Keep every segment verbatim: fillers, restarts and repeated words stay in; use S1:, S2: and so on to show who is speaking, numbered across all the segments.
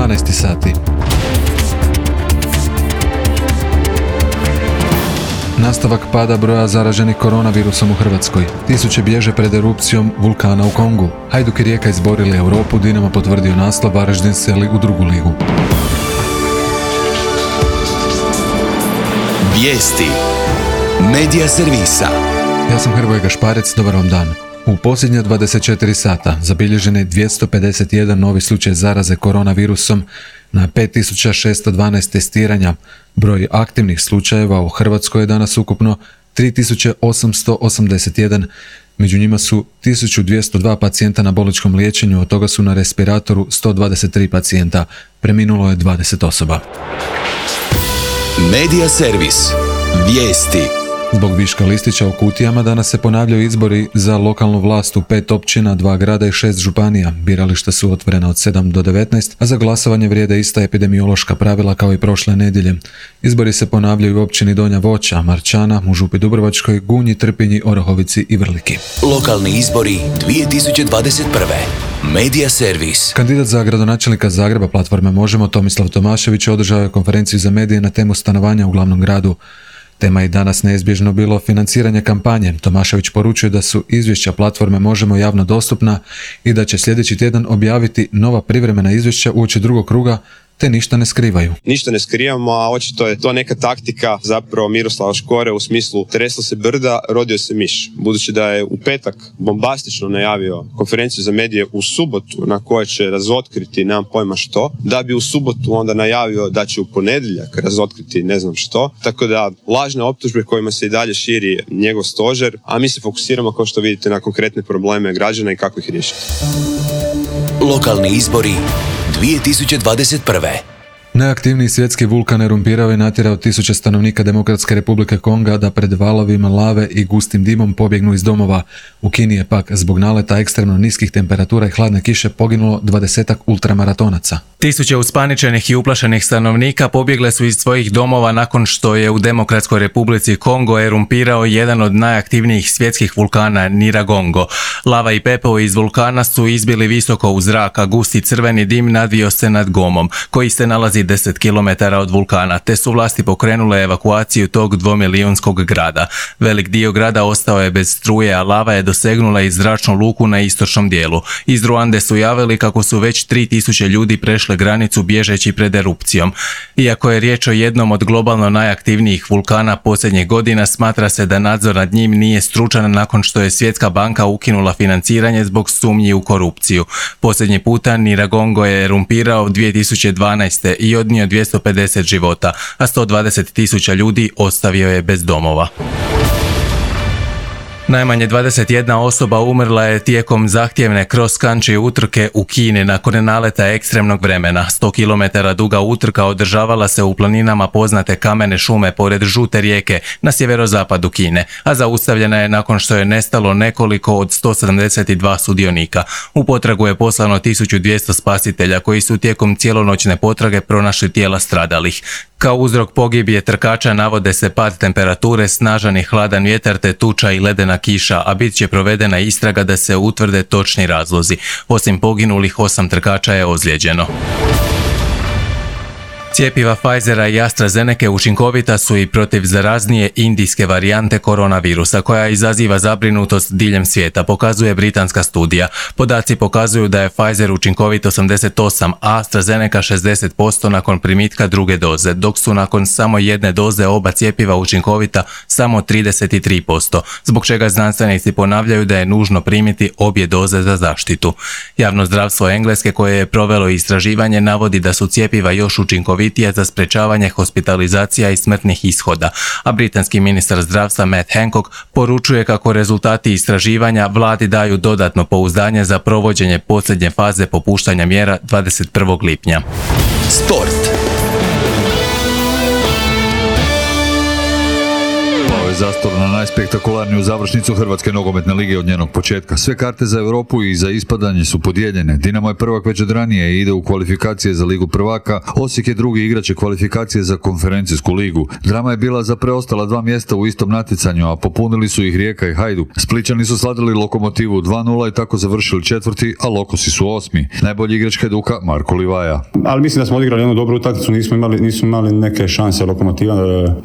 S1: dvanaest sati. Nastavak pada broja zaraženih koronavirusom u Hrvatskoj. Tisuće bježe pred erupcijom vulkana u Kongu. Hajduk i Rijeka izborili Europu, Dinamo potvrdio naslov, Varaždin seli u drugu ligu.
S2: Vijesti Medija servisa.
S1: Ja sam Hrvoje Gašparec, dobar vam dan. U posljednja dvadeset četiri sata zabilježen je dvjesto pedeset jedan novi slučaj zaraze koronavirusom na pet tisuća šesto dvanaest testiranja. Broj aktivnih slučajeva u Hrvatskoj je danas ukupno tri tisuće osamsto osamdeset jedan. Među njima su tisuću dvjesto dva pacijenta na bolničkom liječenju, od toga su na respiratoru sto dvadeset tri pacijenta. Preminulo je dvadeset osoba.
S2: Medija servis. Vijesti.
S1: Zbog viška listića u kutijama danas se ponavljaju izbori za lokalnu vlast u pet općina, dva grada i šest županija. Birališta su otvorena od sedam do devetnaest, a za glasovanje vrijede ista epidemiološka pravila kao i prošle nedjelje. Izbori se ponavljaju u općini Donja Voća, Marčana, u Župi Dubrovačkoj, Gunji, Trpinji, Orahovici i Vrliki.
S2: Lokalni izbori dvije tisuće dvadeset prve. Medija servis.
S1: Kandidat za gradonačelnika Zagreba platforme Možemo, Tomislav Tomašević, održao je konferenciju za medije na temu stanovanja u glavnom gradu. Tema je i danas neizbježno bilo financiranje kampanje. Tomašević poručuje da su izvješća platforme Možemo javno dostupna i da će sljedeći tjedan objaviti nova privremena izvješća uoči drugog kruga, te ništa ne skrivaju.
S3: Ništa ne skrivamo, a očito je to neka taktika zapravo Miroslava Škore u smislu tresla se brda, rodio se miš. Budući da je u petak bombastično najavio konferenciju za medije u subotu na kojoj će razotkriti nemam pojma što, da bi u subotu onda najavio da će u ponedjeljak razotkriti ne znam što, tako da lažne optužbe kojima se i dalje širi njegov stožer, a mi se fokusiramo kao što vidite na konkretne probleme građana i kako ih riješiti.
S2: Lokalni izbori dvije tisuće dvadeset prve.
S1: Najaktivniji svjetski vulkan erumpirao je natjerao tisuće stanovnika Demokratske republike Konga da pred valovima lave i gustim dimom pobjegnu iz domova. U Kini je pak zbog naleta ekstremno niskih temperatura i hladne kiše poginulo dvadesetak ultramaratonaca.
S4: Tisuće uspaničenih i uplašenih stanovnika pobjegle su iz svojih domova nakon što je u Demokratskoj republici Kongo erumpirao jedan od najaktivnijih svjetskih vulkana Nyiragongo. Lava i pepeo iz vulkana su izbili visoko u zrak, a gusti crveni dim nadvio se nad Gomom, koji se nalazi deset kilometara od vulkana, te su vlasti pokrenule evakuaciju tog dvomilijonskog grada. Velik dio grada ostao je bez struje, a lava je dosegnula i zračnu luku na istočnom dijelu. Iz Ruande su javili kako su već tri tisuće ljudi prešle granicu bježeći pred erupcijom. Iako je riječ o jednom od globalno najaktivnijih vulkana posljednjih godina, smatra se da nadzor nad njim nije stručan nakon što je Svjetska banka ukinula financiranje zbog sumnji u korupciju. Posljednji puta Nyiragongo je erumpirao dvije tisuće dvanaeste i odnio dvjesto pedeset života, a sto dvadeset tisuća ljudi ostavio je bez domova. Najmanje dvadeset jedna osoba umrla je tijekom zahtjevne cross-country utrke u Kini nakon naleta ekstremnog vremena. sto kilometara duga utrka održavala se u planinama poznate kamene šume pored Žute rijeke na sjeverozapadu Kine, a zaustavljena je nakon što je nestalo nekoliko od sto sedamdeset dva sudionika. U potragu je poslano tisuću dvjesto spasitelja koji su tijekom cijelonoćne potrage pronašli tijela stradalih. Kao uzrok pogibije trkača navode se pad temperature, snažan i hladan vjetar te tuča i ledena kiša, a bit će provedena istraga da se utvrde točni razlozi. Osim poginulih, osam trkača je ozlijeđeno. Cjepiva Pfizera i AstraZeneca učinkovita su i protiv zaraznije indijske varijante koronavirusa koja izaziva zabrinutost diljem svijeta, pokazuje britanska studija. Podaci pokazuju da je Pfizer učinkovit osamdeset osam, a AstraZeneca šezdeset posto nakon primitka druge doze, dok su nakon samo jedne doze oba cjepiva učinkovita samo trideset tri posto, zbog čega znanstvenici ponavljaju da je nužno primiti obje doze za zaštitu. Javno zdravstvo Engleske, koje je provelo istraživanje, navodi da su cjepiva još učinkovitija za sprečavanje hospitalizacija i smrtnih ishoda, a britanski ministar zdravstva Matt Hancock poručuje kako rezultati istraživanja vladi daju dodatno pouzdanje za provođenje posljednje faze popuštanja mjera dvadeset prvog lipnja.
S2: Sport.
S5: zastor na najspektakularniju završnicu Hrvatske nogometne lige od njenog početka. Sve karte za Europu i za ispadanje su podijeljene. Dinamo je prvak već od ranije i ide u kvalifikacije za Ligu prvaka. Osijek je drugi, igraće kvalifikacije za konferencijsku ligu. Drama je bila za preostala dva mjesta u istom natjecanju, a popunili su ih Rijeka i Hajduk. Splićani su sladili Lokomotivu dva nula i tako završili četvrti, a Lokosi su osmi. Najbolji igrač Hajduka Marko Livaja.
S6: Ali mislim da smo odigrali jednu dobru utakmicu, nismo imali, nismo imali neke šanse Lokomotiva,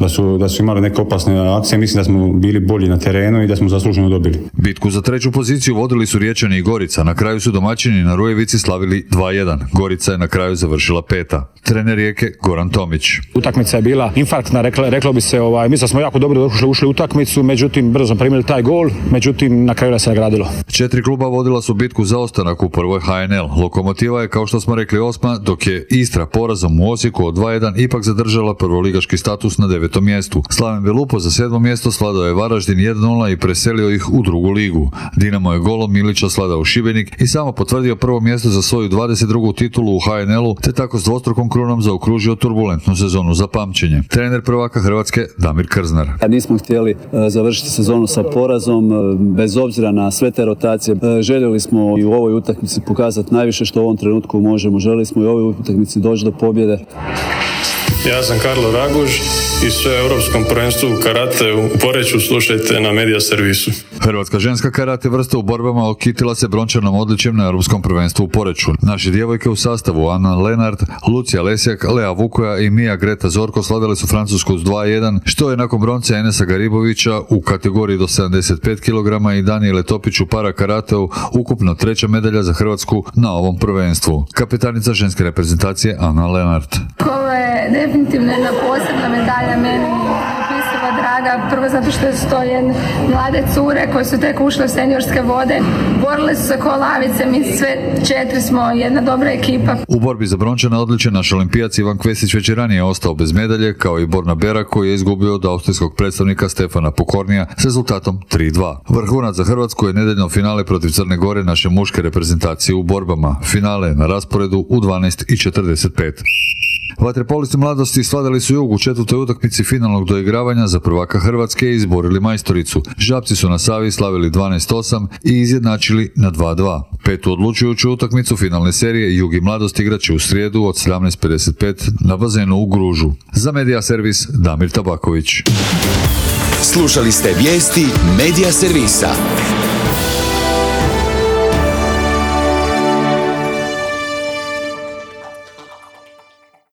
S6: da su, da su imali neke opasne akcije. Mislim da smo bili bolji na terenu i da smo zasluženo dobili.
S5: Bitku za treću poziciju vodili su Riječani i Gorica. Na kraju su domaćini na Rujevici slavili dva jedan. Gorica je na kraju završila peta. Trener Rijeke Goran Tomić.
S7: Utakmica je bila infarktna, reklo, reklo bi se, ovaj, mi smo jako dobro ušli, ušli u utakmicu, međutim brzo smo primili taj gol, međutim na kraju da se nagradilo.
S5: Četiri kluba vodila su bitku za ostanak u prvoj H N L. Lokomotiva je, kao što smo rekli, osma, dok je Istra porazom u Osijeku od dva jedan ipak zadržala prvoligaški status na devetom mjestu. Slaven Belupo za sedmo mjesto sladao je Varaždin jedan nula i preselio ih u drugu ligu. Dinamo je golom Milića sladao Šibenik i samo potvrdio prvo mjesto za svoju dvadeset drugu titulu u H N L-u, te tako s dvostrukom krunom zaokružio turbulentnu sezonu za pamćenje. Trener prvaka Hrvatske Damir Krznar.
S8: Nismo htjeli završiti sezonu sa porazom, bez obzira na sve te rotacije. Željeli smo i u ovoj utakmici pokazati najviše što u ovom trenutku možemo. Željeli smo i u ovoj utakmici doći do pobjede.
S9: Ja sam Karlo Raguž i sve o Europskom prvenstvu karate u Poreču slušajte na Media servisu.
S5: Hrvatska ženska karate vrsta u borbama okitila se brončanom odličjem na Europskom prvenstvu u Poreču. Naše djevojke u sastavu Ana Lenart, Lucija Lesjak, Lea Vukoja i Mija Greta Zorko slavile su Francusku s dva jedan, što je nakon bronce Enesa Garibovića u kategoriji do sedamdeset pet kilograma i Danijele Topić u para karateu ukupno treća medalja za Hrvatsku na ovom prvenstvu. Kapetanica ženske reprezentacije Ana Lenart.
S10: Ovo je definitivno jedna posebna medalja, meni neopisivo draga, prvo zato što su to jedne mlade cure koje su tek ušle u seniorske vode, borile su se ko lavice, mi sve četiri smo jedna dobra ekipa.
S5: U borbi za brončane odličje naš olimpijac Ivan Kvesić već je ranije ostao bez medalje, kao i Borna Berak koji je izgubio od austrijskog predstavnika Stefana Pokornija s rezultatom tri dva. Vrhunac za Hrvatsku je nedeljno finale protiv Crne Gore naše muške reprezentacije u borbama. Finale na rasporedu u dvanaest i četrdeset pet. Vaterpolisti mladosti sladali su Jug u četvrtoj utakmici finalnog doigravanja za prvaka Hrvatske i izborili majstoricu. Žabci su na Savi slavili dvanaest osam i izjednačili na dva dva. Petu odlučujuću utakmicu finalne serije Jug i mladost igraće u srijedu od sedamnaest pedeset pet na bazenu u Gružu. Za Media servis Damir Tabaković.
S2: Slušali ste vijesti Media servisa.